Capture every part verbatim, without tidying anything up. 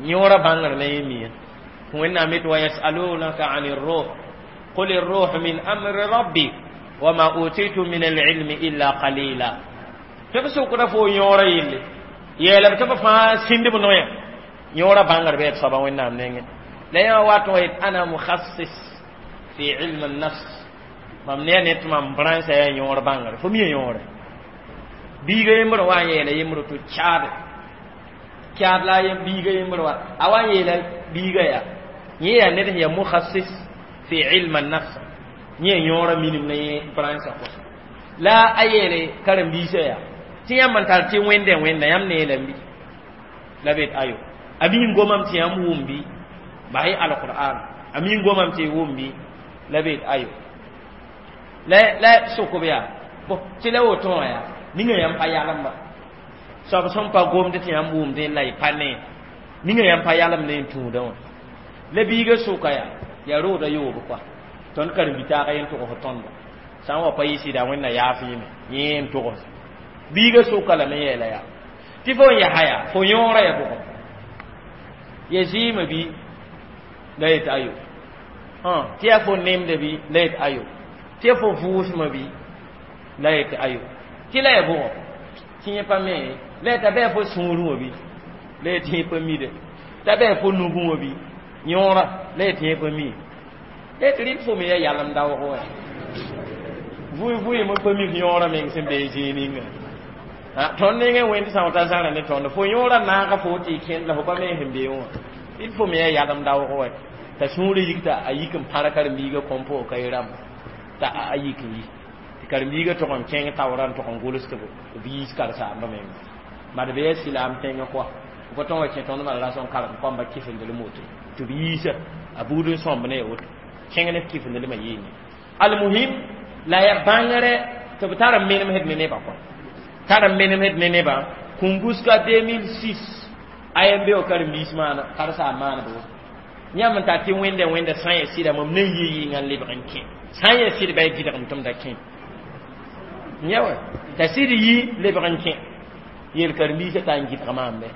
Yõora bãngr la yẽ mia Wẽnnaam yet wa yasalunaka an الروح قل الروح من أمر ربي وما أوتيتم من العلم إلا قليلا. Tɩ b sʋkda fo yõora yelle yeelame tɩ b fãa sĩnd b noya yõora bãngr bɩ d soaba Wẽnnaam nengẽ la yã wat n yet ana mukhassis fi ilm an-nafs mam ne ne tɩ mam brãnsã yaa yõor bãngre fo mi yõore biiga yembr wa n yeela yembr tɩ caade caad la a biiga yembr wa a wa n yeela biiga yaa yẽ yaa ned sẽn yaa mukhassis fi ilm an-nafs yẽ yõora minim ne yẽ brãnsã kɔsa la a yeele karen-biisã yaa tɩ yãmb n tar tɩ wẽnde wẽnda yãmb ne yeelame bɩ la bet ayo a mi n gomame tɩ yãmb wʋm bɩ basɩ alqur'an a mi n gomame tɩ y wʋm bɩ la bet ayo la la sʋkb yaa bõ tɩ la woto wã yaa ninga yãmb pa yalemba soab sẽn pa gomd tɩ yãmb wʋmdẽ la y pa ne ninga yãmb pa yalem ne n tũudã wã la biiga sʋka yaa yaa roodã yoob kɔa tõnd karen-bi-taagã yẽn togs tõnda sã n wa pa yɩ sɩda Wẽnna yaaf yẽme yẽ n togs biiga sʋka lame yeela yaa tɩ fo n yaa yaa fo yõora ya bʋgẽ ya zɩɩmã bɩ la yet ayo tɩ yaa fo nemda bɩ la yet ayo tɩ yaa fo vʋʋsmã bɩ la yet ayo tɩ la ya bʋgɔ tɩ yẽ pa me la yeta bɩ yaa fo sũurẽ wã bɩ la yet yẽ pa mide t'a bɩ yaa fo nugẽ wã bɩ yõora la yet yẽ pa mi la yet rɩl fo me yaa yalem daoog wã vʋɩ vʋɩ pa mik yõora meng sẽn be zĩig ninga tõnd nengẽ wẽnd sã t'a zãra ne tõnd fo yõora naaga fo tɩ y kẽnd la fo pa me sẽn be wã rɩl fo me yaa yalem daoog wã t'a sũurã yik t'a a yik n pãr karen-biigã kõn pʋgã ka y rãmba t'a a yik n yi tɩ karen-biigã tog n kẽng taoorã n tog n gʋls tɩ b yiis karen-saambã menga mad be yaa silaam tẽngã kɔa pa tõn wa kẽ tõnd mala rasõ n karem kõmba kifindlem woto tɩ b yiisa a buud n sõmb ne ya woto kẽng ne kifindlmã yɩɩne almuhim la ya bãngre tɩ b tar n menemsd ne nebã kɔa tar n menemsd ne nebã kũnguska deux mille six a yen be wa karen-biis maana karen-saam maaneb woto yãmb n tar tɩ wẽnda wẽnda sã n ya sɩda mam na n yɩ yɩnga n lebg n kẽ sã n ya sɩd ba y gɩdgem tɩ m da kẽ ya wa t'a sɩd yi lebg n kẽ yeel karen-biisã t'a n gɩdg maam bɛ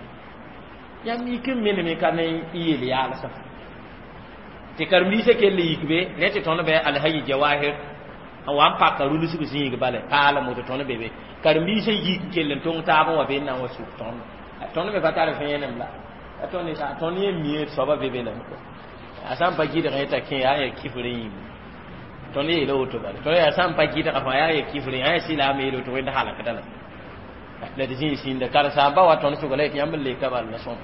yãmb yik n meneme ka ne y yel yaalsã tɩ karen-biisã kell yik be rẽ tɩ tõnd bɩ Alhaji Jawahir n wa n paka rulsg zĩig bala paalem woto tõnd be be karen-biisã yik n kell n tõng taab n wa be n na n wa suk tõnd tõnd me pa tar vẽenem la a tõnd tõnd yẽ mie soaba be be lame a sã n pa gɩdg t'a kẽ yaa ya kifr yĩm tõnd yeela woto bala tõnd yaa sã n pa gɩdga fãa yaa ya kifr yaa ya silaam yeela woto wẽnd halakda la la d zĩig sĩnda karen-saamba wa tõnd sʋga la yetɩ yãmb n leka bal la sõma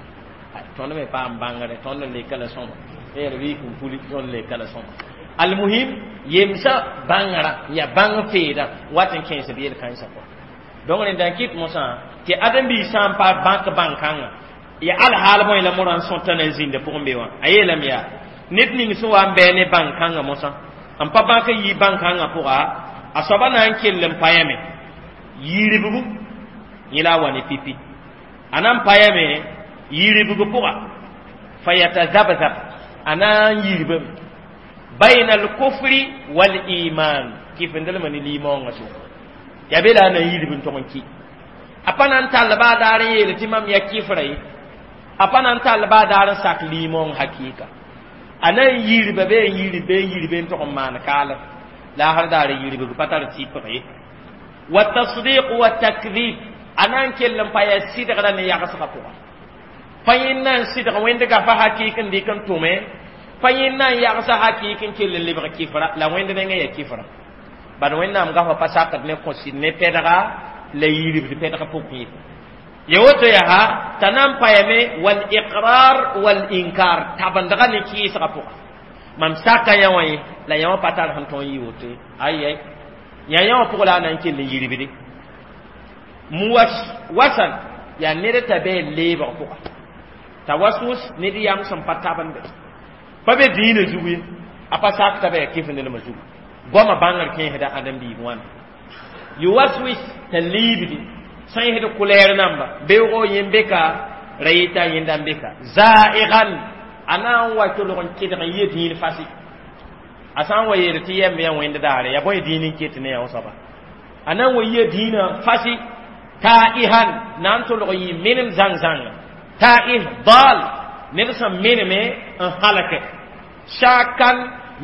tõnd me paam bãngre tõnd n leka la sõma yɛl bɩ n puli tõnd leka la sõma almuhim yemsã bãngrã ya bãng feedã wat n kẽes b yel-kãensã kɔ donc rẽnda n kɩt mosã tɩ ãdem-biis sã n pa bãk bãn-kãngã ya alhaal bõe la morã n sõta na n zĩnda pʋgẽ be wã a yeelame yaa ned ning sẽn wa n bɩ ne bãn-kãngã mosã n pa bãk n yi bãn-kãngã pʋga a soaba na n kell n payame yiribgu yẽ la a wa ne pipi a na n payame yiribg pʋga fayatazabzab a na n yirbame bayna alkufri waliman kifindlmã ne limaoongã sʋka yaa be la a na n yirb n tog n ki a pa na n tall baa daar n yeel tɩ mam ya kifra ye a pa na n tall baa daar n sak limaoong hakɩɩka a na n yirba be n yirb be n yirbe n tog n maan kaalem la a sar daar n yirbg pa tar tɩpg ye wa tasdiq wa takdib a na n kell n pa yaa sɩdgrã ne yagsgã pʋga pa yẽnd na n sɩdg wẽnd gafa hakɩɩk n dɩk n tʋme pa yẽnd na n yagsa hakɩɩk n kell n lebg kifra la wẽnd nengẽ ya kifra bad Wẽnnaam gafa pa sakd ne kõ sɩd ne pɛdga la yiribd pɛdg pʋk yẽ ya woto yaa t'a na n payame wal iqrar wal inkar tabendga ne kɩɩsgã pʋga mam saka yã wã ye la yã wã pa tar sẽn tõe n yɩ woto ye ay ay yã yã wã pʋg la a na n kell n yirbde muwaswasan yaa ned t'a bɩ leebg pʋga t'a waswus ned yam sẽn pa tabende pa be dĩinã zugu ye a pa sak t'a bɩ kɩf-nelmã zugu goamã bãngr kẽesda ãdem-biig wãna yuwaswis t'a liibdi sã yẽsd kulɛɛr namba beoogo yẽ beka ra yeta yẽnda n beka zaɩgan a na n wa tolg n kɩdg n yɩ dĩin fasi a sã n wa yeel tɩ yɛmb yã wẽnd daare ya bõe dĩin n ket ne yã soaba a na n wa yɩ dĩinã fasi taihan na n tolg n yɩ menem zãng-zãnga taih dal ned sẽn meneme n halake shakan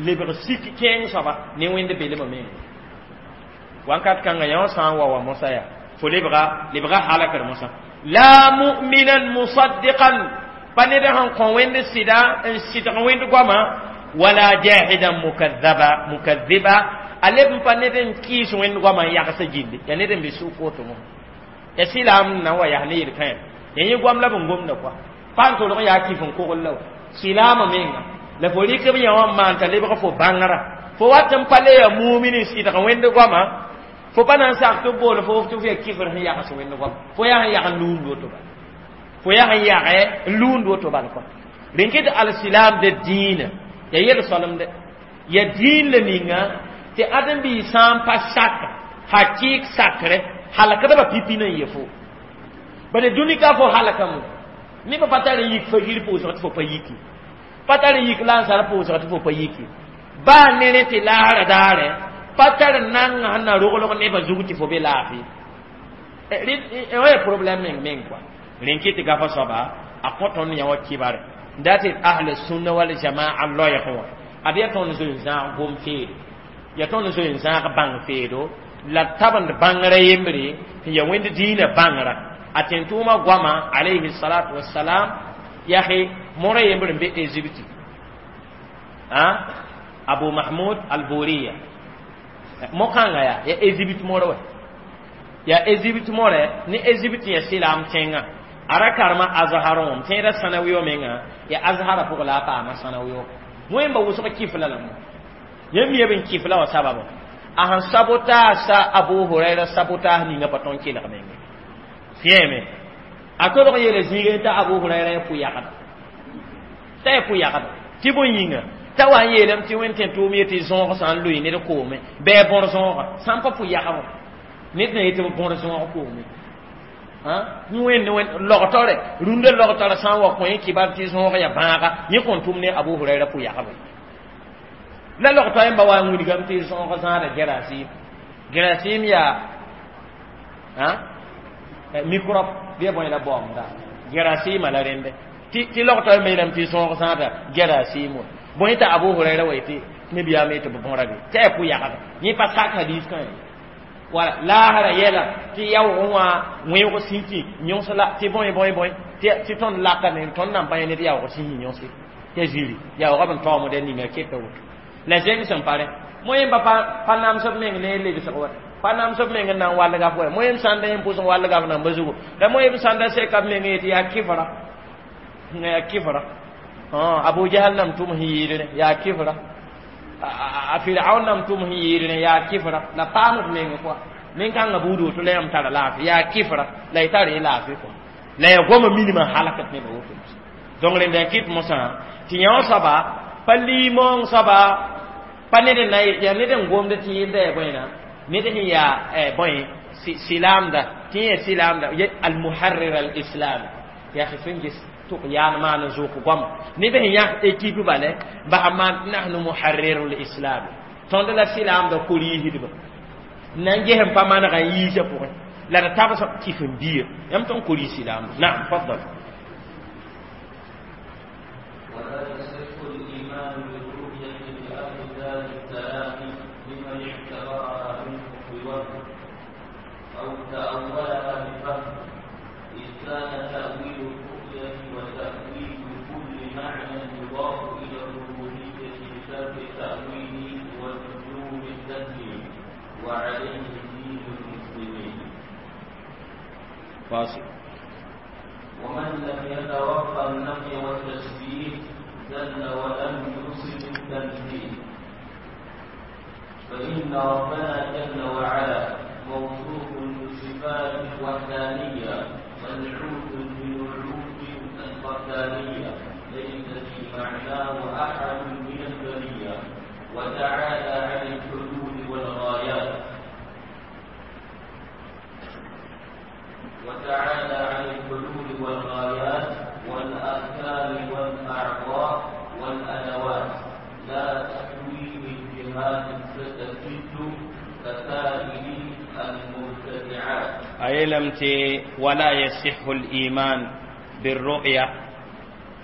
lebg sik kẽeng soaba ne wẽnd belmã meng wãnkat kãngã yã wã sã n wa wa mosã yaa fo lebga lebga halakr mosã la mu'minan musaddiqan pa ned sẽn kõ wẽnd sɩda n sɩdg wẽnd goama wala jahidan mukadhaba mukadhiba a leb n pa ned n kɩɩs wẽnd goama n yagsã gilli yaa ned n be sʋk woto mo ya silaam na wa yaa ne yel-kãe ya yẽ goam la b n gomda kɔa pa n tolg n yaa kif n kogl la wa silaamã menga la fo rɩk b yã wã n maan t'a lebg fo bãngrã fo wat n pa le ya mumin n sɩdg wẽnd goama fo pa na n sak tɩ b bool fo tɩ f ya kifr sẽn yags wẽnd goama fo yaa sẽn yag n luund woto bala fo yaa sẽn yagɛ n luund woto bala kɔa rẽn ket alsilaam de dĩinã ya yel-soalemde ya dĩin la ninga tɩ ãdem-biis sã n pa sak hakɩɩk sakre halakdbã pipi na n ye fo bala dũni ka fo halakame nebã pa tar n yik fagir pʋʋsg tɩ fo pa yiki pa tar n yik lansar pʋʋsg tɩ fo pa yiki baa ne rẽ tɩ laasra daare pa tar nanga sẽn na roglg nebã zug tɩ fo be laafɩ wã ya problème meng meng kɔa rẽn kɩ tɩ gafa soaba a kõ tõnd yã wã kibare n dat tɩ ahl sunna wal jamaa loɛɛg wã ad yaa tõnd zoe n zãag gom feedo yaa tõnd zoe n zãag bãng feedo la tabend bãngrã yembre tɩ ya wẽnd dĩinã bãngrã a tẽn-tʋʋmã goama alayhi salatu wassalam yaa mora yembr n be Égypte Abu Mahmoud al-Buriya mo-kãngã yaa ya Égypte mora wa ya Égypte more ne Égypte ya silaam tẽngã a ra karema Azhar wã m tẽeda sãnaweo menga ya Azhara pʋgã la a paama sãnaweo wẽmba wʋsg kifla la mo yãmb mi b n kifla wã sababa a sẽn sabotaasa Abu Huraira sabotaas ninga pa tõnd kelg menge fiẽme a tolg yeela zĩigẽ t'a Abu Huraira ya pʋ-yagda t'a ya pʋ-yagda tɩ bõe yĩnga t'a wa n yeelame tɩ wẽnd tẽn-tʋʋm yetɩ zõog sã n loe ned koome bɩ a bõr zõoga sã n pa pʋ-yagb ned na yetɩ b bõr zõog koome wẽnd wẽnd logtore rũndã logtara sã n wa kõ yẽ kibar tɩ zõog ya bãaga yẽ kõn tʋm ne Abu Huraira pʋ-yagb la logtɔ yẽmba wa n wilgame tɩ zõog zãada gerasim gerasim yaa microbe bɩ ya bõe la baoomda gerasɩɩmã la rẽnde tɩ logtɔ yẽmba yeelame tɩ zõog zãada gerasɩɩm wã bõe t'a Abu Huraira wa yetɩ nebiyaam yetɩ b bõra be t'a ya pʋ-yagda yẽ pa sak hadiis kã wala laasra yɛla tɩ yaoog wã wẽoog sĩki yõs la tɩ bõe bõe bõe tɩ tõnd laka ne tõnd nan pa yẽ ned yaoog sĩsi yõse t'a zĩri yaoogã b n taoomd ninga keta woto la zeng sẽn pa rẽ moyẽmba pa nams b meng ne legsg wa pa nams b meng n na n walga f wa moyem sãnda yẽm pʋsẽ walga f namba zugu la moyem sãnda seka b meng yetɩ yaa kifra yaa kifra Abu Jahal nam tʋm sẽn yɩɩdrẽ yaa kifra a Firaun nam tʋm sẽn yɩɩdrẽ yaa kifra la paam b meng kɔa nin-kãngã buud woto la yãmb tara laafɩ yaa kifra la y tar y laafɩ kɔa la ya goama minimã halakd nebã woto donc rẽnda n kɩt mosã tɩ yã wã soaba pa liimoong soaba pa ned n na yaa ned n gomd tɩ yẽnda ya bõena ned sẽn yaa bõe silaamda tɩ yẽ silaamda almuharrir alislam yaa sẽn ges tʋk yaan maan n zʋk goama neb sẽn yãk équipe bale basa maan nahnu muharriru lislam tõnd la silaamda koriisdba na n ges n pa manega n yiisã pʋgẽ la d tabs kif n bia yãmb tõn koriis silaamda naam faddal ولا يصح الإيمان بالرؤية لأهل دار السلام لمن اعتبرها منه بوهم أو تأولها بفهم إذ كان تأويل الرؤية وتأويل كل معنى يضاف إلى الربوبية بترك التأويل ولزوم التسليم وعليه دين المسلمين. فاصل. ومن لم يتوقع النفي والتشبيه زل ولم يصب التنزيه فإن ربنا جل وعلا موصوف بصفات الوحدانية منعوت بنعوت الفردانية ليس في معناه أحد من البرية وتعالى عن الحدود والغايات وتعالى عن الحدود والغايات والأركان والأعضاء والأدوات لا تحويه الجهات الست كسائر المبتدعات. أيلم ولا يصح الإيمان بالرؤية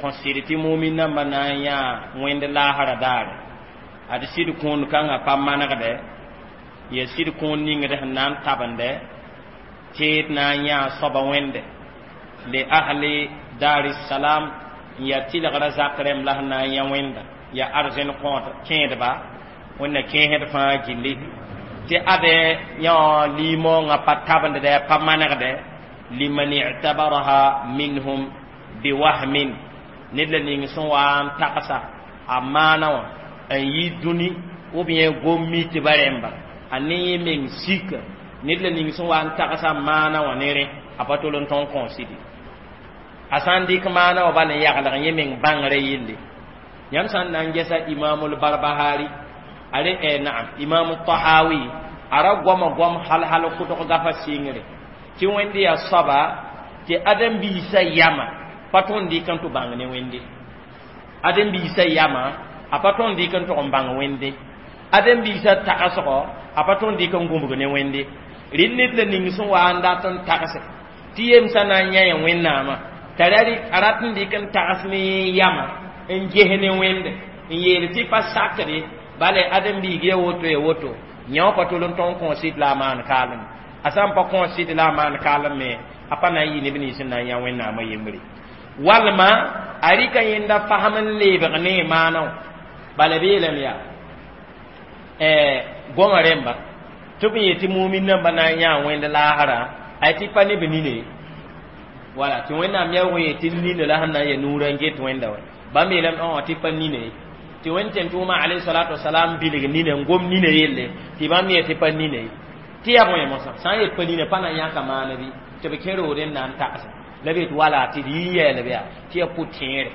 Kõ sɩd tɩ mumin nambã na n yã wẽnd laasra daare ad sɩd kũun kãngã pa manegdɛ ya sɩd kũun ningd sẽn na n tabende tɩ d na n yã soaba wẽnde li ahli dar salam n ya tɩlgrã zak rẽmb la sẽn na n yã wẽnda ya arzẽn kõot kẽedba wẽnna kẽesd fãa gilli tɩ ade yã liimoongã pa tabendɛ pa manegdɛ liman i'tabaraha minhum biwahmin ned la ning sẽn wa n tagsa a maana wã n yi dũni ou bien gom-mitba rẽmba a ne yẽ meng sika ned la ning sẽn wa n tagsa maana wã ne rẽ a pa tol n tõn kõosidi a sã n dɩk maana wã bal n yaglg yẽ meng bãngrã yelle yãmb sã n na n gɛsa imamul barbahari a re eh, naam imamu tahawi a ra goama goam hal hal kʋdg gafa sɩngre tɩ wẽnd yaa soaba tɩ ãdem-biisã yama pa tõnd dɩk n tɩ bãng ne wẽnde ãdem-biisã yama a pa tõnd dɩk n tʋg n bãng wẽnde ãdem-biisã tagsgɔ a pa tõnd dɩk n gũbg ne wẽnde rɩ ned la ning sẽn wa n dat n tagse tɩ yemsã na n yã wẽnnaamã t'a a rat n dɩk n tags ne yama n ges ne wẽnde n yeel tɩ pa sakre bala ãdem-biig ya woto ya woto yã wã pa tol n tõn kõos-sɩd la a maan kaalem a sã n pa kõos-sɩd la a maan kaalem me a pa na n yɩ neb nins n na n yã wẽnnaamã yembre walma a rɩka yẽnda fasem n leebg ne maana wã bala b yeelame yaa goamã rẽmba tɩ b yetɩ mumin nambã na n yã wẽnd laasrã a tɩ pa ne b nine wala tɩ wẽnnaam yaoog yetɩ nina la sẽn na n ya nuurã n get wẽnda wã bãmb yeelame tɩ pa nine tɩ wẽnd tẽn-tʋʋmã alayhi salatu wasalam bilg nina n gom nina yelle tɩ bãmb yetɩ pa nine tɩ yaa bõe mosã sã n yet pa nina pa na n yãka maana bɩ tɩ b kẽ rood n na n tagse la b yet wala tɩ d yɩ n yɛɛlb yaa tɩ yaa pʋ-tẽere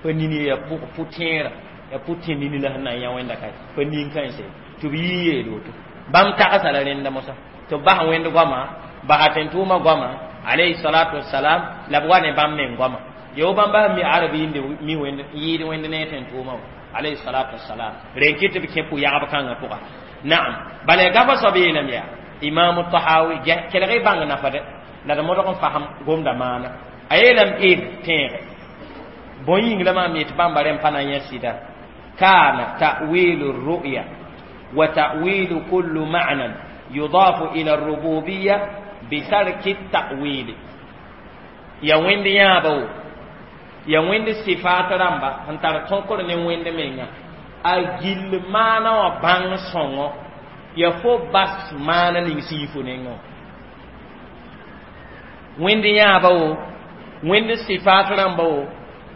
pa nini yaa pʋ-tẽera yaa pʋ-tẽ nini la sẽn na n yã wẽnda ka pa nin-kãense tɩ b yɩ n yeel woto bãmb tagsa la rẽnda mosã tɩ b bas wẽnd goama basa tẽn-tʋʋmã goama alayhi salatu wasalam la b wa ne bãmb meng goama yo bãmb bas mi arab yɩnde mi wẽnd yɩɩd wẽnd ne tẽn-tʋʋmã wã alayhi salatu wasalam ren kɩ tɩ b kẽ pʋ-yagb kãngã pʋga naam bala gafa soab yeelame yaa imamu tahawi kelg y bãng nafa dɛ la d modg n fasem gomda maana a yeelame id tẽege bõe yĩng la maam yetɩ bãmba rẽmb pa na n yã sɩda kana ta'wilu ru'ya wa ta'wilu kullu ma'nan yudafu ila rububiyya bitarki ta'wili ya wẽnd yãaba wo ya wẽnd sifaat rãmba sẽn tar tõkr ne wẽnd menga a gill maana wã bãng sõngo ya fo bas maana ning sẽn yi fo nengẽ wã wẽnd yãaba wo wẽnd sifaat rãmba wo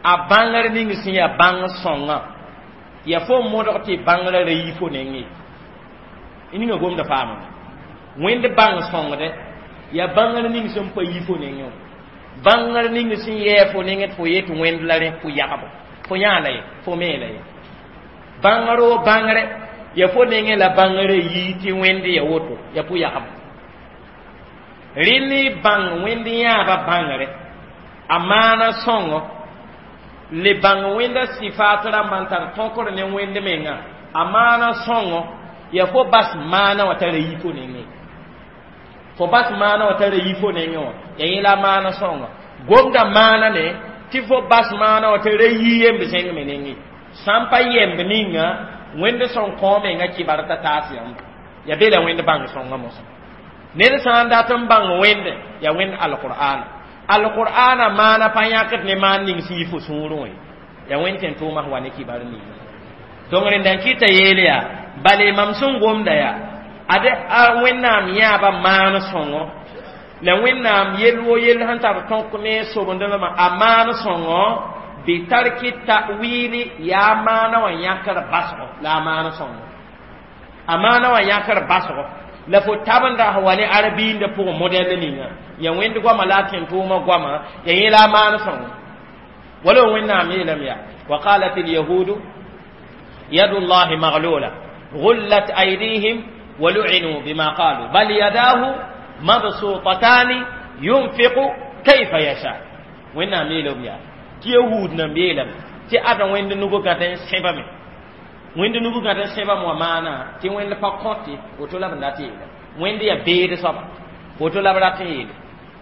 a bãngr ning sẽn yaa bãng sõngã ya fo modg tɩ bãngrã ra yi fo nengẽ ninga gomda faamame wẽnd bãng sõngdɛ ya bãngr ning sẽn pa yi fo nengẽ wã bãngr ning sẽn yɛɛ fo nengẽ tɩ fo yet wẽnd la rẽ pʋ-yagbo fo yãa la ye fo mee la ye bãngr o bãngre ya fo nengẽ la bãngrã yii tɩ wẽnd ya woto ya pʋ-yagbo rẽnd bãng wẽnd yãaba bãngre a maana sõngo le bãng wẽnda sifaat rãmbã n tar tõkr ne wẽnd menga a maana sõngo ya fo bas maana wã tara yi fo nengẽ fo bas maana wã tara yi fo nengẽ wã ya yẽ la maana sõngo gomda maana ne tɩ fo bas maana wã tara yi yemb zẽng me nengẽ sã n pa yemb ninga wẽnd sõn kõ menga kɩbar t'a taas yãmba ya be la wẽnd bãng sõngã mosã ned sã n dat n bãng wẽnde ya wẽnd alqur'ana alqur'ana maana pa yãkd ne maan ning sẽn yi fo sũurẽ wã ya wẽnd tẽn-tʋʋmã wa ne kibar ninga donc rẽnda n kɩta yeel yaa bale mam sẽn gomda yaa ade a wẽnnaam yãaba maan sõngo la wẽnnaam yell wo yell sẽn tar tõk ne sobendlmã a maan sõngo bitarki ta'wili yaa maana wã yãkr basgo la a maan sõngo a maana wã yãkr basgo la fo tabenda sẽn wa ne arabiindã pʋgẽ modɛl ninga ya wẽnd goama la a tẽn-tʋʋmã goama ya yẽ la a maan sõngo wala wẽnnaam yeelame yaa wa qalat alyahudu yadu llahi maglula غلت أيديهم ولعنوا بما قالوا بل يداه مبسوطتان ينفق كيف يشاء وين ميلو بيا تي يهود نم بيلم تي أدا وين نوغو غاتن سيبامي وين نوغو غاتن سيبام ومانا تي وين با كونتي وتو لا بناتي وين يا بيد سبا وتو لا براتي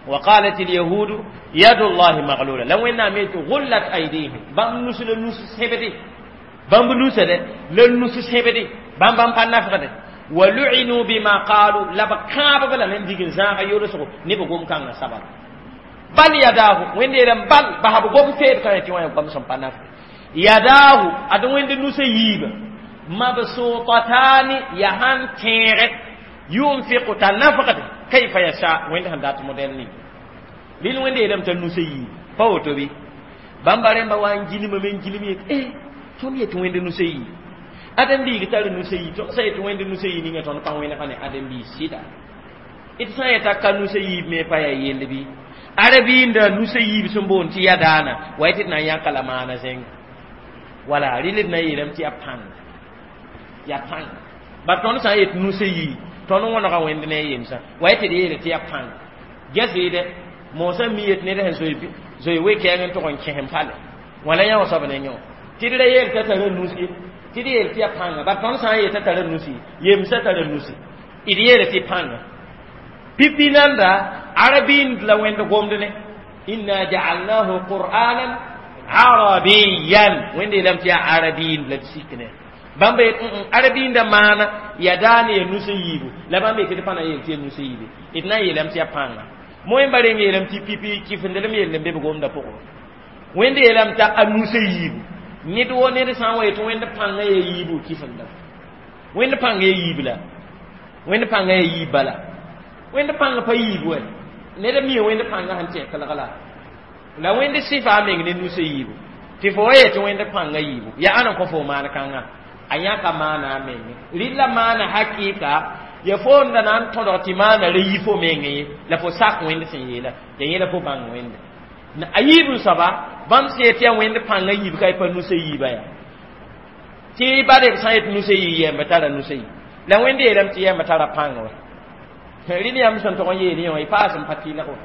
وقالت اليهود يد الله مغلولة. لو إن ميت غلت أيديهم. بام نسل نس سبدي. بام نسل لن نس سبدي. بام بام بان ولعنوا بما قالوا. لبكاب بلا من ديك زاغ يورسو نيبو كان سبب. بل يداه. وين ديرم بل. بحب قوم فير كان تي وين قوم سم بان يداه. ادو وين نس ييب. مبسوطتان يهان تيرت. ينفق تنفقت. كيف يشاء. وين هندات موديل ني. lil wẽnde yeelame t'a nusã yiib pa woto bɩ bãmba rẽmba wa n gilma me n gilm yet eh tõnd yet wẽnd nusã yiib ãdem-biig tar nusã yiib tõnd sã yet wẽnd nusã yiib ninga tõnd pa wẽnega ne ãdem-biig sɩda d sã n yeta ka nusã yiib me pa yaa yell bɩ arabiinda nusã yiib sẽn boond tɩ ya daana wa tɩ d na n yãka la maana zẽnga wala rɩl d na n yeelame tɩ yaa pãnga yaa pãnga bar tõnd sã n yet nusã yiib tõnd wõnega wẽnd ne a yemsã wa tɩ d yeele tɩ yaa pãnga ges-yɩde moosã mi yet ned sẽn zoe zoe we-kɛɛng n tʋg n kẽsem pale wala yã wã soab ne yõ tɩ d ra yeel t'a tara nus ye tɩ d yeel tɩ yaa pãnga bar tõnd sã n yeel t'a tara nusi yemsã tara nusi d yeele tɩ pãnga pipi nanda arabind la wẽnd gomd ne inna ja'alnahu qur'anan arabiyan wẽnd yeelame tɩ yaa arabind la d sik ne bãmba yet arabiinda maana ya daane ya nus n yiibu la bãmba yetɩ d pa na yeel tɩ ya nus n yiibe d na n yeelame tɩ yaa pãnga moẽmba reng yeelame tɩ pipi kifendelem yell n be b gomda pʋgẽ wẽnd yeelame t'a a nus n yiibu ned wo ned sã n wa yetɩ wẽnd pãngã ya yiibu kifenda wẽnd pãngã ya yiib la wẽnd pãngã ya yiib bala wẽnd pãngã pa yiib wɛ ned mi wẽnd pãngã sẽn tẽ kelg la la wẽnd sɩfa a meng ne nus n yiibu tɩ fo wa yetɩ wẽnd pãngã yiibu yaa ãn n kõ fo maan kãngã a yãka maana a meng rɩla maana hakɩɩka ya fo n da na n tõdg tɩ maana ra yi fo meng ye la fo sak wẽnd sẽn yeela ya yẽla fo bãng wẽnde a yiib n soaba bãmb sẽn yet yaa wẽnd pãngã yiib ka y pa nusã yiiba yaa tɩ ba d sã n yet nusã yii yɛmba tara nusã yii la wẽnd yeelame tɩ yɛmba tara pãnga wa rɩl yãmb sẽn tʋg n yeel yẽ wã y paas n pa tɩlg wa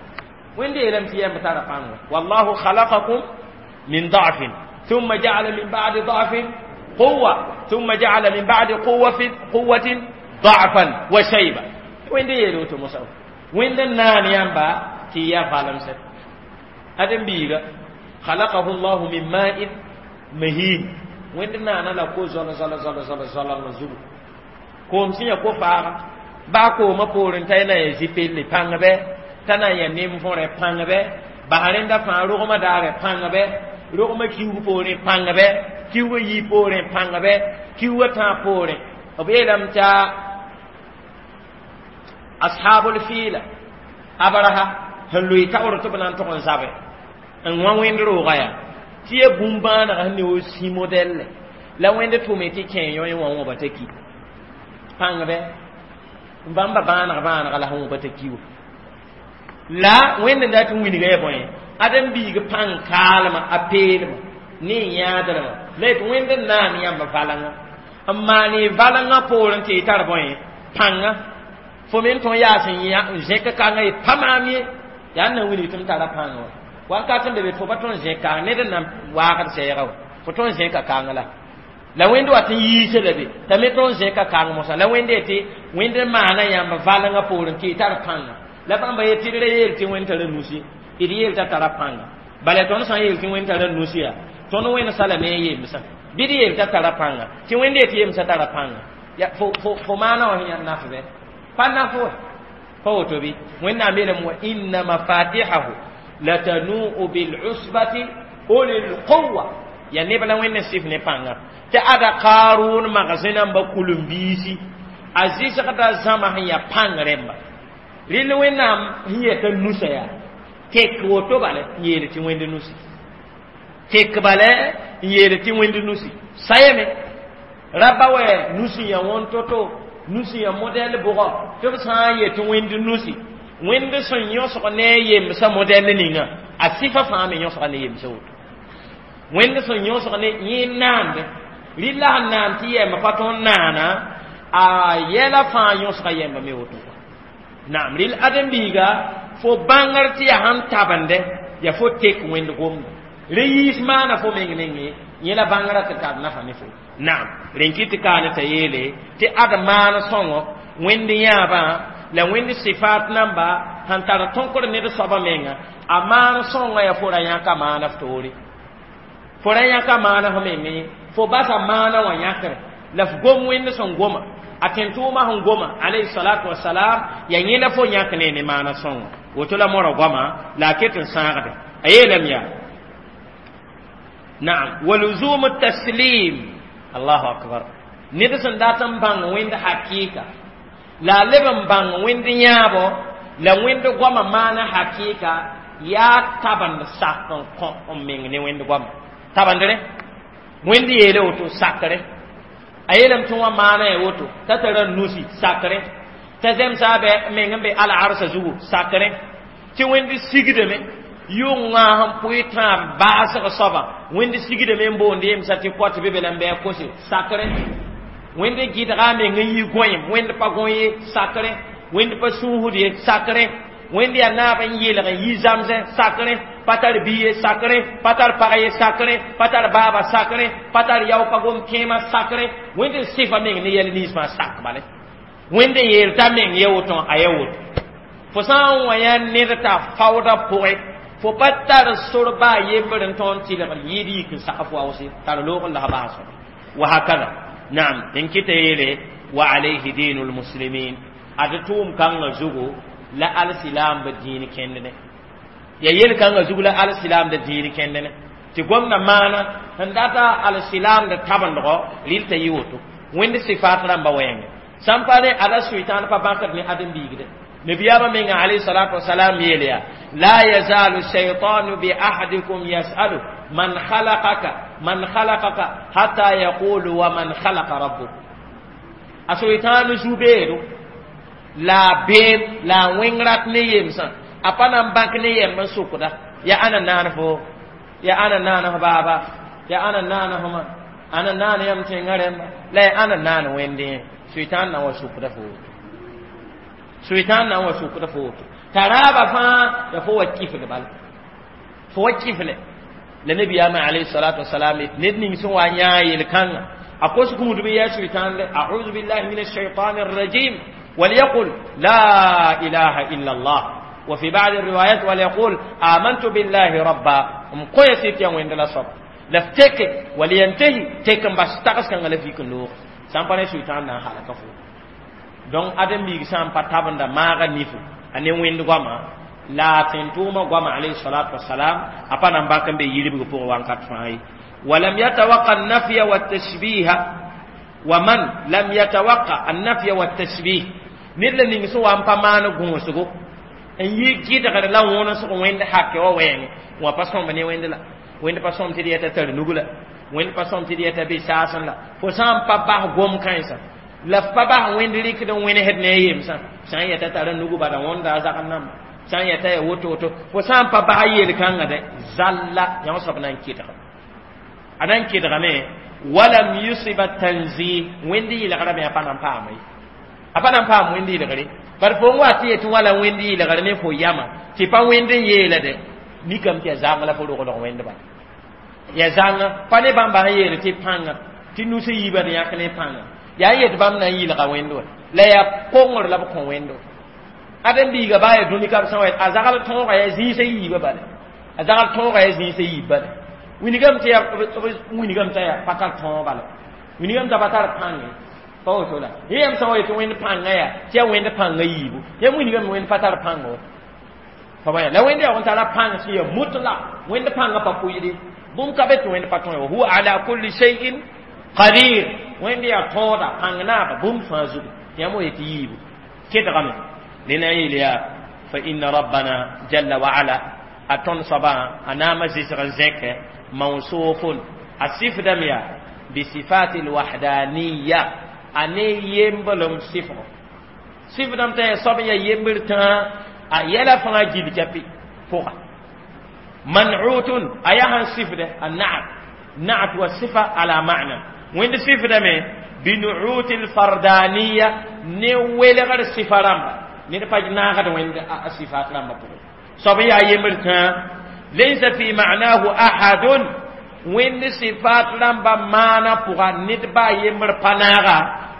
wẽnd yeelame tɩ yɛmba tara pãnga wa wallahu khalaqakum min da'fin thumma ja'ala min ba'di da'fin قوة ثم جعل من بعد قوة قوة ضعفا وشيبة وين دي يلو تمسو وين نان يامبا تي يا فالم سر ادم بيغا خلقه الله من ماء مهين وين نانا لا كو زول زول زول زول زول زول كوم سي كو فار با كو ما بورن تاينا يزيبل بانغ بي تانا يا نيم فوري بانغ بي بارين دا فان روغما دار بانغ بي روغما كيو بوري بانغ بي kiuga yi poorẽ pãnga bɛ kiuga tãag poorẽ b yeelame t'a ashabul fiila abraha sẽn loe taoor tɩ b na n tʋg n zabe n wã wẽnd rooga yaa tɩ ya bũmb-bãanega sẽn ne wo sĩ modɛlle la wẽnd tʋme tɩ kẽ yõ wã wõba t'a ki pãng bɛ bãmba bãaneg bãanega la sẽn wõba t'a ki wa la wẽnd n dat n wilga ya bõe ãdem-biig pãng kaalmã a peelmã ne yãadremã la yet wẽnd n naan yãmb valengã n maan y valengã poorẽ tɩ y tar bõe pãnga fo me n tõe yaas n zẽk kãngã yet pa maam ye yaa n na wilg tɩ m tara pãngã wa wakat n be be fo pa tõe n zẽk kãng ned n na waagd sɛɛga wa fo tõe n zẽka kãng la la wẽnd wat n yiisa la be t'a me tõe n zẽka kãng mosã la wẽnd yetɩ wẽnd n maana yãmb valengã poorẽ tɩ y tar pãnga la bãmba yet tɩ d ra yeel tɩ wẽnd tara nusi d yeel t'a tara pãnga bala tõnd sã n yeel tɩ wẽnd tara nusi yaa tõnd wẽnd sala ne yemsã bɩ d yeel t'a tara pãnga tɩ wẽnd yetɩ yemsã tara pãnga ya fo fo fo maana wã sẽn yãnd naf bɛ pa naf wa pa woto bɩ wẽnnaam yeelame wa inna mafatihahu latanu'u bil'usbati ulil quwwa ya neb la wẽnd n sɩf ne pãnga tɩ ada kaarʋʋn magsẽ namba kulem-biisi a zɩsgda zãma sẽn yaa pãng rẽmba rɩl wẽnnaam sẽn yeta nusa yaa tek woto bala n yeel tɩ wẽnd nusi tek bala n yeel tɩ wẽnd nusi sayame raba wɛ nusi ya wõn to-to nusi ya modɛl bʋgɔ tɩ b sã n yetɩ wẽnd nusi wẽnd sẽn yõsg ne a yemsã modɛl ninga a sɩfa fãa me yõsga ne yemsã woto wẽnd sẽn yõsg ne yẽ naande rɩla sẽn naan tɩ yɛmba pa tõnd naana a yɛla fãa yõsga yɛmba me woto naam rɩl ãdem-biiga fo bãngr tɩ yaa sãn tabende yaa fo tek wẽnd gomda re yiis maana fo meng nengẽ yẽ la bãngrã tɩ tar nafa ne fo naam rẽn kɩ tɩ kaane t'a yeele tɩ ad maan sõngo wẽnd yãabã la wẽnd sɩfaat namba sẽn tar tõkr ned soabã menga a maan sõngã yaa fo ra yãka maana f toore fo ra yãka maana f meng ye fo basa maana wã yãkre la f gom wẽnd sẽn goma a tẽn-tʋʋmã sẽn goma alayhi salatu wasalam yaa yẽ la fo yãk ne ne maana sõngo woto la mora goama la a ket n sãagde a yeelame yaa naam wa luzum taslim allahu akbar ned sẽn dat n bãng wẽnd hakɩɩka la a leb n bãng wẽnd yãabo la wẽnd goama maana hakɩɩka yaa tabend sak n kõ n meng ne wẽnd goama tabendre wẽnd yeele woto sakre a yeelame tɩ wã maana ya woto t'a tara nusi sakre t'a zemsa bɛ meng n be al-arsa zugu sakre tɩ wẽnd sigdame yʋngã sẽn pʋɩ tãab baasg soaba wẽnd sigdame n boond yemsa tɩ koat be be la n bɩ a kose sakre wẽnd gɩdga meng n yi gõeem wẽnd pa gõ ye sakre wẽnd pa sũusd ye sakre wẽnd yaa naab n yelg n yi zamsẽ sakre pa tar bi ye sakre pa tar pag ye sakre pa tar baaba sakre pa tar yao pa gom kẽema sakre wẽnd n sɩfa meng ne yɛl nins fãa sak bale wẽnd n yeel t'a meng ye woto a ye woto fo sã n wa yã ned t'a faoodã pʋgẽ fo pa tar sor baa yembr n tõog n tɩlgr yɩɩd yik n sak fo waoose tar loog n lasg baasg wa hakada naam n kɩta yeele wa alayhi dinu lmuslimin ad tʋʋm kãngã zugu la alsilaam b dĩin kẽndne ya yel kãngã zug la alsilaam d dĩin kẽndne tɩ gomda maana sẽn data alsilaam d tabendgo rɩl t'a yɩ woto wẽnd sɩfaat rãmba wɛɛngẽ sãn pa ne ada sʋɩtãan pa bãkd ne ãdem-biigde nabiyaamã menga alayhi salatu wasalam yeel yaa la yazalu shaytanu bi ahadikum yasalu man khalaqaka man khalaqaka hatta yaqulu wa man khalaqa rabbuk a sʋɩtãan zu-beedo la beem la wẽng rat ne yemsã a pa na n bãk ne yɛmb n sʋkda ya ãna naan fo ya ãna naan f baaba ya ãna naan f ma ãna naan yam tẽngã rẽmba la ya ãna naan wẽndẽ sʋɩtãan na n wa sʋkda fo woto sʋɩtãan na n wa sʋkda fo woto t'a raaba fãa ya fo wa kifl bala fo wa kifle la nabiyaamã alayhi salatu wasalam ned ning sẽn wa yãa yel-kãngã a kos gũudb yaa sʋɩtãan le auzu billahi min alshaitan arrajim وليقل لا إله إلا الله وفي بعض الروايات وليقول آمنت بالله ربا مقوية سيتيا وين لا صب لفتك ولينتهي تكن بس تقس كان غلا فيك لوخ سامباني سويتان نا حالك فو دون ادم بيغ سام پتابندا ماغا نيفو ane wẽnd goama la tẽn-tʋʋmã goama alayhi salatu wasalam a pa na n bak n be yiribg pʋgẽ wãnkat fãa ye ولم يتوقع النفي والتشبيه ومن لم يتوقع النفي والتشبيه ned la ning sẽn wa n pa maan gõosgo n yi gɩdgr la wõnesg wẽnd hake wa wɛɛngẽ wã pa sõmb ne wẽnd la wẽnd pa sõm tɩ d yɛta tar nug la wẽnd pa sõm tɩ d yɛta be saasẽ la fo sã n pa bas gom kãensã la f pa bas wẽnd rɩkd n wẽnesd ne a yemsã sã n yɛta tara nugu bala wõnda a zagd namba sã n yɛta ya woto woto fo sã n pa bas yel-kãngã dɛ zalla yã soab na n kɩdga a na n kɩdgame walam yusiba tanzih wẽnd yɩlgrame a pa na n paama ye a pa na n paam wẽnd yɩlgre bar fo n wa tɩ yetɩ wala wẽnd yɩlgr ne fo yama tɩ pa wẽnd n yeela dɛ mikame tɩ ya zãng la fo roglg wẽnd bala ya zãnga pa ne bãmba sẽn yeel tɩ pãnga tɩ nus yiibã d yãk ne pãnga yaa n yet bãmb na n yɩlga wẽnd wa la yaa kongr la b kõ wẽnd wa ãdem-biiga baa ya dũni kab sã wa a zagl tõoga yaa zĩisã yiibã bala a zagl tõoga yaa zĩisã yiib bala wilgame tɩ yaa wilgame t'a yaa pa tar tõog bala wilgame t'a pa tar pãnge pa woto la yẽ yãmb sã wa yetɩ wẽnd pãngã yaa tɩ yaa wẽnd pãngã yiibu yãmb wilgame wẽnd pa tar pãnga wa pa bãya la wẽnd yaa n tara pãng sẽn yaa mutla wẽnd pãngã pa pʋɩɩde bũmb ka be tɩ wẽnd pa tõe wa huwa ala kulli shay'in qadir wẽnd yaa tõoda pãng naaba bũmb fãa zugu yãmb wa yetɩ yiibu kedgame nena yeel yaa fa inna rabbana jalla wa ala a tõnd soabã a naama zɩsg n zẽke mawsufun a sɩfdame yaa bisifati lwahdaniya a ne yemblem sɩfgo sɩfdame t'a yaa soab n yaa yembr tãa a yɛla fãa gil kapi pʋga man'utun a yaa sẽn sɩfdɛ a naat naat wa sifa ala ma'na wẽnd sɩfdame binuuti lfardaniya ne welgr sɩfa rãmba ned pa naagd wẽnd a sifat rãmba pʋgẽ soab n yaa yembr tãa laysa fi ma'nahu ahadun wẽnd sifat rãmba maana pʋga ned baa yembr pa naaga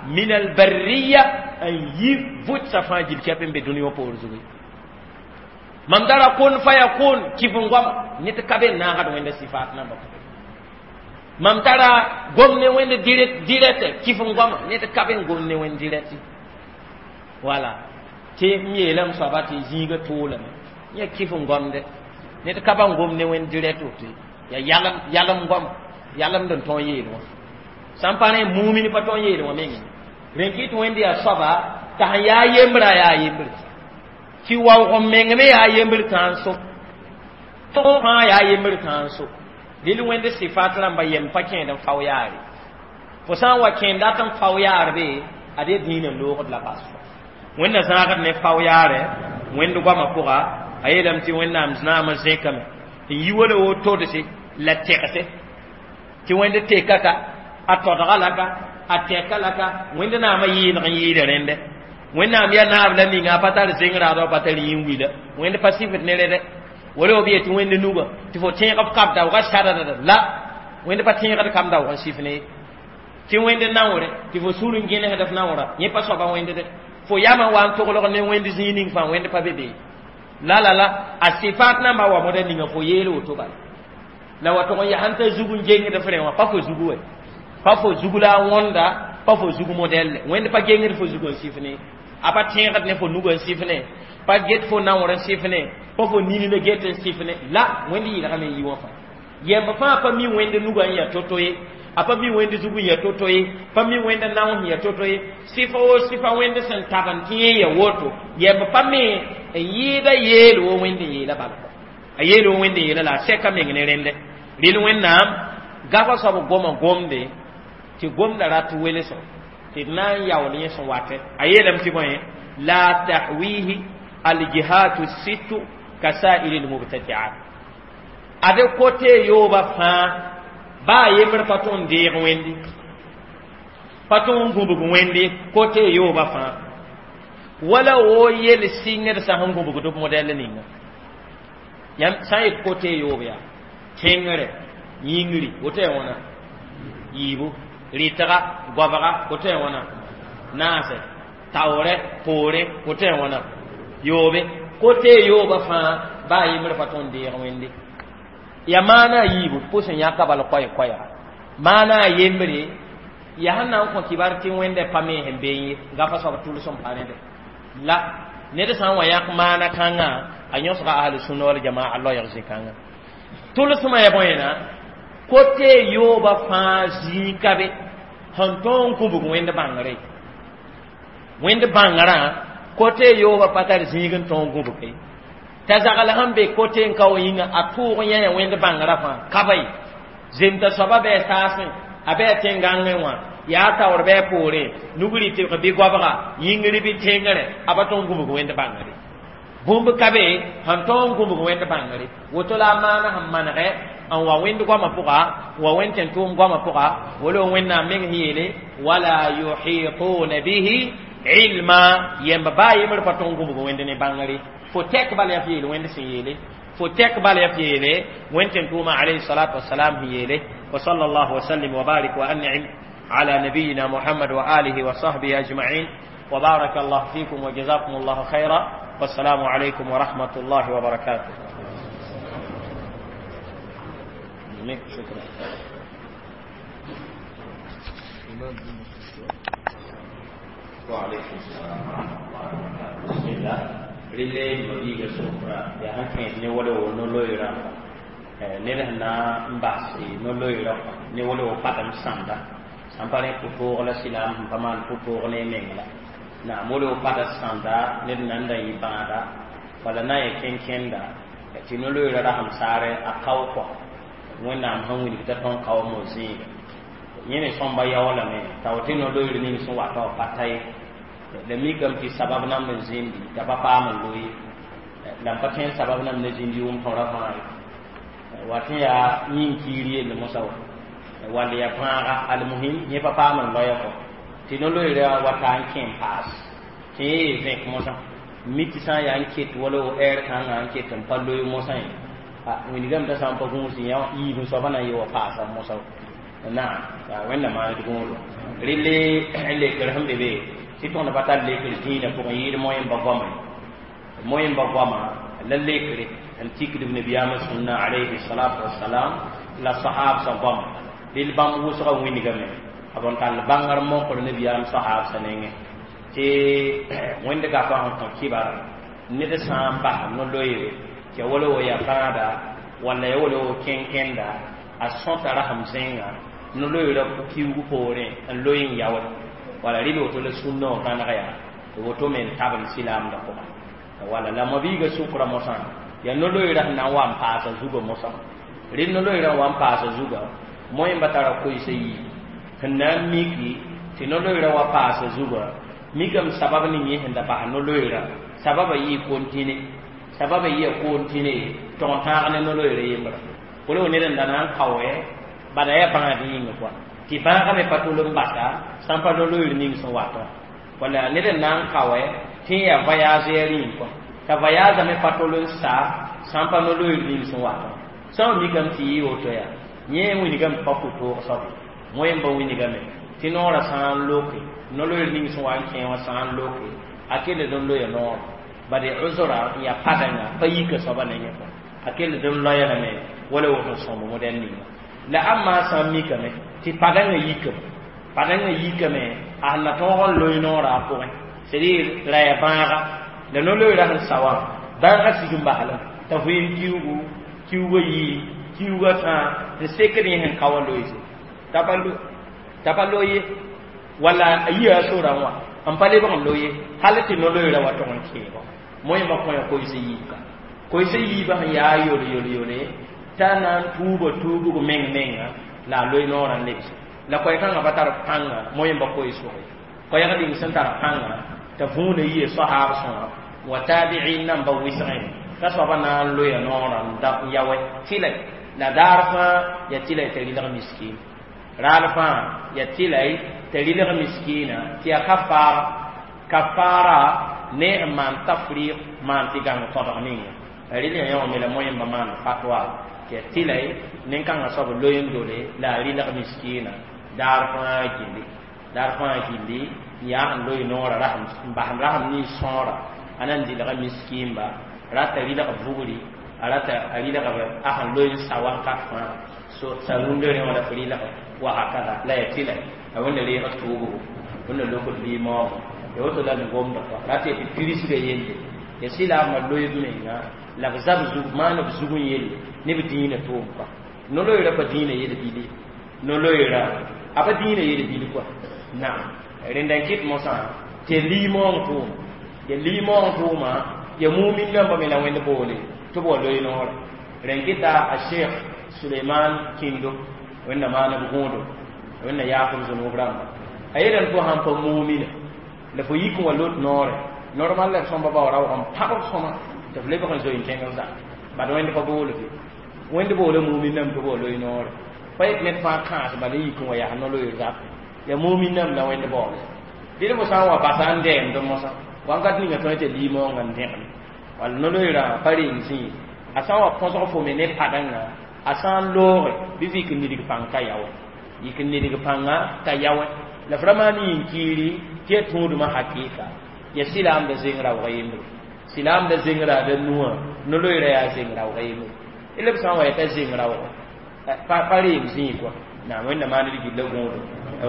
min albarriya n yi vʋtsa fãa gil kɛp n be dũni wã poor zugu Mam tara kun fayakun kɩf n goama ned ka be n naagd wẽnda sɩfaat namba pʋgẽ. Mam tara gom ne wẽnd direct kɩf n goama ned ka be n gom ne wẽnd direct. Wala tɩ m yeelame soaba tɩ zĩiga toolame yẽ kɩf n gomde ned ka ba n gom ne wẽnd direct woto ya yalem yalem goam yalemd n tõog yeel wã sãn pa rẽ mumin pa tõog yeel wã mengẽ rẽn kɩ tɩ wẽnd yaa soaba t'a sẽn yaa yembrã yaa yembre tɩ waoog n meng me yaa yembr tãnso fãa yaa yembr tãnso dɩl wẽnd sɩfat rãmba yem pa kẽed n fao yaare fo sã n wa kẽend dat n fao yaar be ad ye dĩinã loogd la bas wẽnna zãagd ne fao yaare wẽnd goamã pʋga a yeelame tɩ wẽnnaam naam n zẽkame n yi wala wotodse la tɛgse tɩ wẽnd teka ka a todga la ka a tɛka la ka wẽnd naamã yɩɩlg n yɩɩda rẽndɛ wẽnnaam yaa naab la ninga a pa tar zeng raadã pa tar yĩn wila wẽnd pa sifd ne rẽdɛ wala b yetɩ wẽnd nuga tɩ fo tẽeg f kab daoogã sadadada la wẽnd pa tẽegd kam daoog n sif ne tɩ wẽnd naoore tɩ fo sũur n gẽnesd f naoora yẽ pa soaba wẽnd dɛ fo yamã wa n toglg ne wẽnd zĩig ning fãa wẽnd pa be be la la la a sɩfaat nambã wa moda ninga fo yeel woto bala la wa tʋg n yaa sẽn ta zug n gengd f rẽ wã pa fo zugu wɛ pa fo zug la a wõnda pa fo zug modɛlle wẽnd pa gengd fo zug n sif ne a pa tẽegd ne fo nug n sif ne pa get fo naoor n sif ne pa fo nini la get n sif ne la wẽnd yɩlgame n yi wã fãa yɛmb fãa pa mi wẽnd nugã n yaa to-to ye a pa mi wẽnd zug n yaa to-to ye pa mi wẽnd nao sẽn yaa to-to ye sɩfa wo sɩfa wẽnd sẽn tab n tɩ yẽ ya woto yɛmb pa me n yɩɩda yeel wo wẽnd n yeela bala a yeel wo wẽnd n yeela la a sɛka meng ne rẽndɛ rɩl wẽnnaam gafa soab goma gomde tɩ gomda rat welso tɩ d na n yaool yẽ sẽn watɛ a yeelame tɩ bõe la tahwihi aljihatu sittu kasairi lmubtadiat ade kote yooba fãa baa yembr pa tõnd deeg wẽndi pa tõnd n gũbg wẽndi kote yooba fãa wala wo yel sɩngd sã sẽn gũbgd b modɛl ninga yãmb sã n yet kote yoob yaa tẽngre yĩngri woto yaa wãna yiibu rɩtga goabga woto yaa wãna naase taoorɛ poore woto yaa wãna yoobe kote yooba fãa baa yembr pa tõnd deeg wẽnde ya maana a yiibu pʋs n yãka bal koɛ-koɛɛga maana a yembre yaa sẽn na n kõ kibar tɩ wẽnda pa me sẽn beẽ ye gafa soab tʋls n pa rẽde la ned sã n wa yãk maana kãngã a yõsga ahlu-sunna wal jamaa loɛɛg zĩ-kãngã tʋlsmã ya bõena kote yooba fãa zĩig ka be sẽn tõog n kũbg wẽnd bãngre wẽnd bãngrã kote yooba pa tar zĩig n tõog n gũbge t'a zagl sẽn be kote n ka wa yĩnga a tʋʋg yã ya wẽnd bãngrã fãa ka ba ye zemta soaba bɩ a saasẽ a bɩ a tẽn-gãngẽ wã yaa taoor bɩ a poore nugri tɩbg bɩ goabga yĩngri bɩ tẽngre a pa tõog n gũbg wẽnd bãngre bũmb ka be sẽn tõog n gũbg wẽnd bãngre woto la a maana sẽn manegɛ n wa wẽnd goamã pʋga n wa wẽnd tẽn-tʋʋm goamã pʋga wala wẽnnaam meng sẽn yeele wala yuhituna bihi ilma yẽmb baa yembr pa tõog n gũbg wẽnd ne bãngre fo tɛk bala yaa f yeel wẽnd sẽn yeele fo tɛk bala yaa f yeele wẽnd tẽn-tʋʋmã alayhi salatu wasalam sẽn yeele wa sallallahu wasallim wa barik wa an'im على نبينا محمد وآله وصحبه أجمعين وبارك الله فيكم وجزاكم الله خيرا والسلام عليكم ورحمة الله وبركاته. شكرا. وعليكم السلام ورحمة الله وبركاته. بسم الله. rɩle mabiiga sʋkra yaa sẽn kẽed ne wala wo no-loeerã ned sẽn na n bas no-loeerã ne wala wo patem sãmda sãn pa rẽ pʋ-toog la silaam sẽn pa maan pʋ-toog ne meng la naam wala wo pata sãmda ned nan da yɩ bãada wala na n yɩ kẽn-kẽnda tɩ no-loeerã rasem saare a kao kɔ wẽnnaam sẽn wilg t'a tõnd kaoom zĩiga yẽ me sõmba yaoolame t'a tɩ no-loeer ning sẽn wata wa pa ta ye la mikame tɩ sabab namd n zĩndi t'a pa paam n loe la n pa tõe n sabab namd n zĩndi yʋʋm tõrã fãa ye wat n yaa yĩn-kiir yell mosã wa wall yaa bãaga almuhim yẽ pa paam n loya kɔ tɩ no-loeera wata n kẽ n paas tɩ yẽ yee vẽk mosã mi tɩ sã n yaa n ket wala wo ɛɛr kãngã n ket n pa loe mosã ye wilgame t'a sã n pa gũus yã yiib n soaba na n yɩ wa paasa mosã naam wẽnna maand gũudo rɩle lekr sẽn be be tɩ tõnd pa tar lekr dĩinã pʋgẽ yɩɩd moyen-ba goama moyen-ba goama La lekre n tikd b nabiyaamã sũnna alayhi salatu wasalam la sahabsã goama dɩl bãmb wʋsgã wĩndgame b n tall bãngr mokr nabiyaam sahabsã nengẽ tɩ wẽnd gapã sẽn kõ kɩbar ned sã n bas no-loeere tɩ ya wala wo ya bãada walla ya wala wo kẽn-kẽnda a sõta rasem zẽnga no-loeerã kiuug poorẽ n loe n yaoe wala rɩl woto la sũnnã wã vãneg yaa tɩ woto me n tabl silaamdã pʋga wala la mabiiga sʋkra mosã yaa no-loeerã sẽn na n wa n paasa zugã mosã rɩl no-loeerã n wa n paasa zugã moẽmba tara koɛɛsã yii sẽn na n miki tɩ no-loeerã wa paasa zugã mikame sabab ning yẽ sẽn da bas no-loeerã sababa yɩɩ kontine sababa yɩa kontine tog n tãag ne no-loeerã yembra wala wo ned n da na n kaoɛ bala yaa bãad yĩnga kɔa tɩ bãagã me pa tol n basa sã n pa no-loeer ning sẽn watã wala ned n na n kaoɛ tɩ n yaa voyage rĩim kɔa t'a voyage me pa tol n sa sã n pa no-loeer ning sẽn watã sã n mikame tɩ yɩ woto yaa yẽ wilgame pa pʋ-toog soabe moẽmba wilgame tɩ noorã sã n loke no-loeer ning sẽn wa n kẽ wã sã n loke a kelld n loya noor bade uzra n yaa padãnga pa yika soaba nengẽ kɔa a kelld n loya lame wala woto sõmb modɛl ninga la ãmba sã n mikame tɩ padãngã yikame padãngã yikame a sẽn na tõog n loe noorã a pʋgẽ c'est à dire ra yaa bãaga la no-loeerã sẽn sa wã bãagã sig n baslame t'a vɩɩm kiugu kiugã yii kiugã tãa n sekd yẽ sẽn ka wã loeese t'a pa loe ye walla a yia a sorã wã n pa lebg n loe ye hal tɩ no-loeerã wa tog n kẽebã moẽmba kõya koɛɛsã yiibka koɛɛsã yiibã sẽn yaa yole yole yole t'a na n tuuba tuubg meng menga la a loe noorã n lebse la koɛɛ-kãngã pa tar pãnga moẽmba koɛɛ-sʋge koɛɛg ning sẽn tar pãnga t'a võona yia sahaab sõa wa tabiin namba wɩsgẽ t'a soaba na n loya noorã n yaoɛ tɩla la daar fãa ya tɩla t'a rɩlg miskin raal fãa ya tɩla t'a rɩlg miskina tɩ ya kafaara kafaara ne n maan tafriq maan tɩ gãng tõdg ninga a rɩl ya yõ me la moẽmba maan fatwa tɩ ya tɩla nin-kãngã soab loe n dole la a rɩlg miskina daar fãa gilli daar fãa gilli n yaa n loe noorã rasem n bas rasem nins sõora a na n dɩlga miskinba rata rɩlg vugri a rata a rɩlg a sẽn loe n sa wakat fãa so sa rũndã rẽ wã la f rɩlg wa hakada la ya tɩla a wẽnna reeg tʋʋbgo wẽnna lokd limoogã ya woto la n gomda kɔa rata tɩ pirisga yelle ya sɩlaamã loeeb menga la b zab zug maan b zug n yelle ne b dĩinã tʋʋm kɔa no-loeerã pa dĩinã yel bili no-loeerã a pa dĩinã yel bil kɔa naam rẽnda n kɩt mosã tɩ limoong tʋʋm ya limoong tʋʋma ya mumin nambã me la wẽnd boole tɩ b wa loe noorã rẽn kɩta a sheikh suleiman kindo wẽnna maan b gõodo wẽnna yaaf b zũnub rãmba a yeelame tɩ fo sãn pa mumina la fo yik n wa lot noore normal la d sõmba bao raoog n pãgb sõma tɩ f lebg n zoe n kẽng zã bad wẽnd pa bool fe wẽnd boola mumin nam tɩ b wa loe noore pa yet ned fãa kãas bala yik n wa yaa no-loeer zap ya mumin nam la wẽnd baoole dɩd fo sã n wa basa n dɛɛmd mosã wãnkat ninga tõe tɩ limoongã n dẽgme wall no-loeerã pa reng zĩig a sã n wa põsg fo me ne padãngã a sã n looge bɩ f yik n nidg pãng t'a yaoɛ yik n nidg pãnga t'a yaoɛ la f ra maan yĩn-kiiri tɩ ya tũudmã hakɩɩka ya sɩlaamda zeng raoogã yembre sɩlaamda zeng raada nuwã no-loeerã yaa zeng raoogã yembre d b sã n wa ya t'a zeng raooga pa pa reem zĩig kɔa naam wẽnna maan d gilla gõodo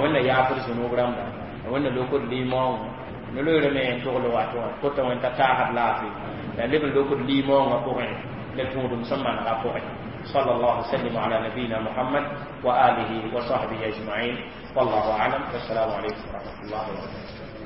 wẽnna yaaf d zũnub rãmba wẽnna lokd limoongã no-loeerã me n togl wato wã kota wẽn t'a taasd laafɩ la leb n lokd limoongã pʋgẽ la tũudum sẽn manegã pʋgẽ صلى الله وسلم على نبينا محمد وآله وصحبه أجمعين والله أعلم والسلام عليكم ورحمة الله وبركاته.